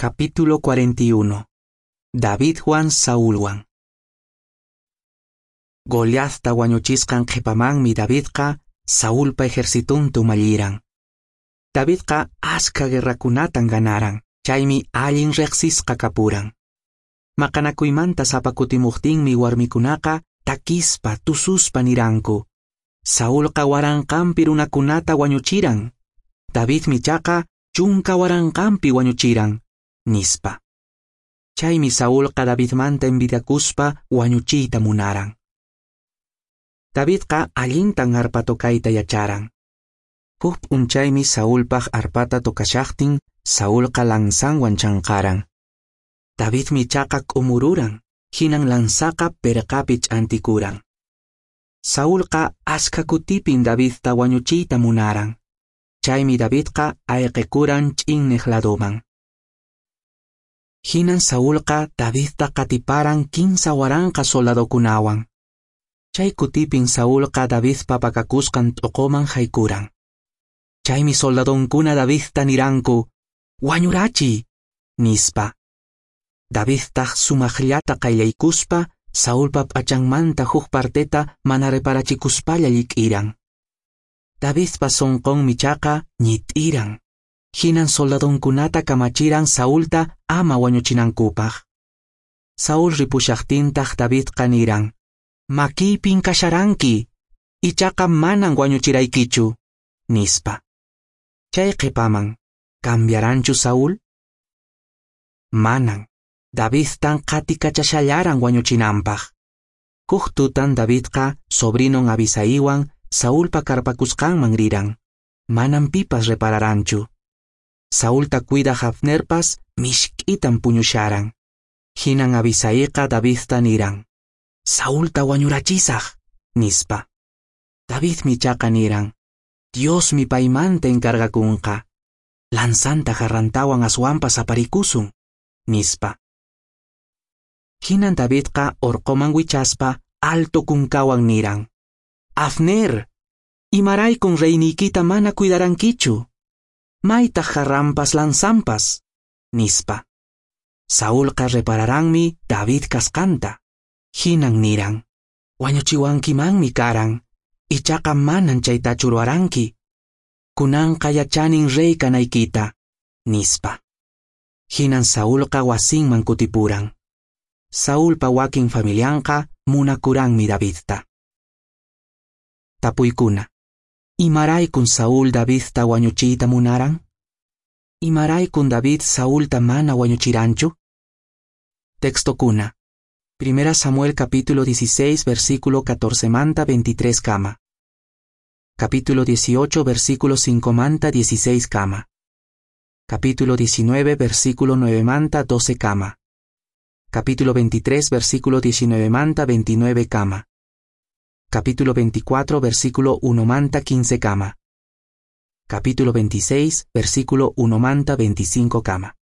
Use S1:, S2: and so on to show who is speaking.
S1: Capítulo 41. Davidwan Saulwan. Goliathta wañuchisqan qhipamanmi Davidqa Saulpa ejercitunta umalliran. Davidqa askha guerrakunatan ganaran, chaymi allin riqsisqa kapuran. Maqanakuymanta sapa kutimuqtinmi warmikunaqa takispa tususpa niranku. Saulqa waranqanpi runakunata wañuchiran. Davidmi ichaqa chunka waranqanpi wañuchiran, nispa. Chaymi Saulqa Davidmanta envidiakuspa wañuchiyta munaran. Davidqa allintan arpa tocayta yacharan. Huk p'unchaymi Saulpaq arpata tocashaqtin, Saulqa lanzanwan chanqaran. Davidmi ichaqa k'umururan, hinan lanzaqa perqapi ch'antikuran. Saulqa askha kutipin Davidta wañuchiyta munaran. Chaymi Davidqa ayqikuran ch'inneq ladoman. Hinan Saulqa Davidta qatiparan 3000 soldadokunawan. Chay kutipin Saulqa Davidpa pakakusqan t'uquman haykuran. Chaymi soldadonkuna Davidta niranku, "Wañurachiy", nispa. Davidtaq sumaqllata qayllaykuspa Saulpa p'achanmanta huk parteta mana reparachikuspalla llik'iran. Davidpa sunqunmi ichaqa ñit'iran. Hinan soldadonkunata kamachiran Saulta ama wañuchinankupaq. Saúl ripushaqtintaq Davidqa niran, "Makiypin kasharanki, ichaqa manan wañuchiraykichu", nispa. Chay qhipaman, ¿cambiaranchu Saúl? Manan. Davidtan qatikachashallaran wañuchinanpaq. Huk tutan Davidqa sobrinon Abisaiwan Saulpa karpakusqanman riran. Manan pipas repararanchu. Saulta cuidaq Abnerpas mishk'itan puñusharan. Hinan Abisaiqa Davidta niran, "Saulta wañurachisaq", nispa. Davidmi ichaqa niran, "Diosmi paymanta encargakunqa. Lanzanta jarrantawan aswanpas aparikusun", nispa. Hinan Davidqa orqoman wichaspa alto kunkawan niran, "Abner, imaraykun reyniykita mana cuidarankichu? Maytaq jarranpas lanzanpas", nispa. Saulqa repararanmi David kasqanta. Hinan niran, "Wañuchiwankimanmi karan, ichaqa manan chaytachu ruwaranki. Kunanqa yachanin rey kanaykita", nispa. Hinan Saulqa wasinman kutipuran. Saulpa wakin familianqa munakuranmi Davidta. Tapuykuna. Imaraykun Saúl Davidta wañuchiyta munaran? Imaraykun David Saulta mana wañuchiranchu? Textokuna. 1 Samuel capítulo 16 versículo 14 manta 23 kama. Capítulo 18 versículo 5 manta 16 kama. Capítulo 19 versículo 9 manta 12 kama. Capítulo 23 versículo 19 manta 29 kama. Capítulo 24 versículo 1 manta 15 kama. Capítulo 26 versículo 1 manta 25 kama.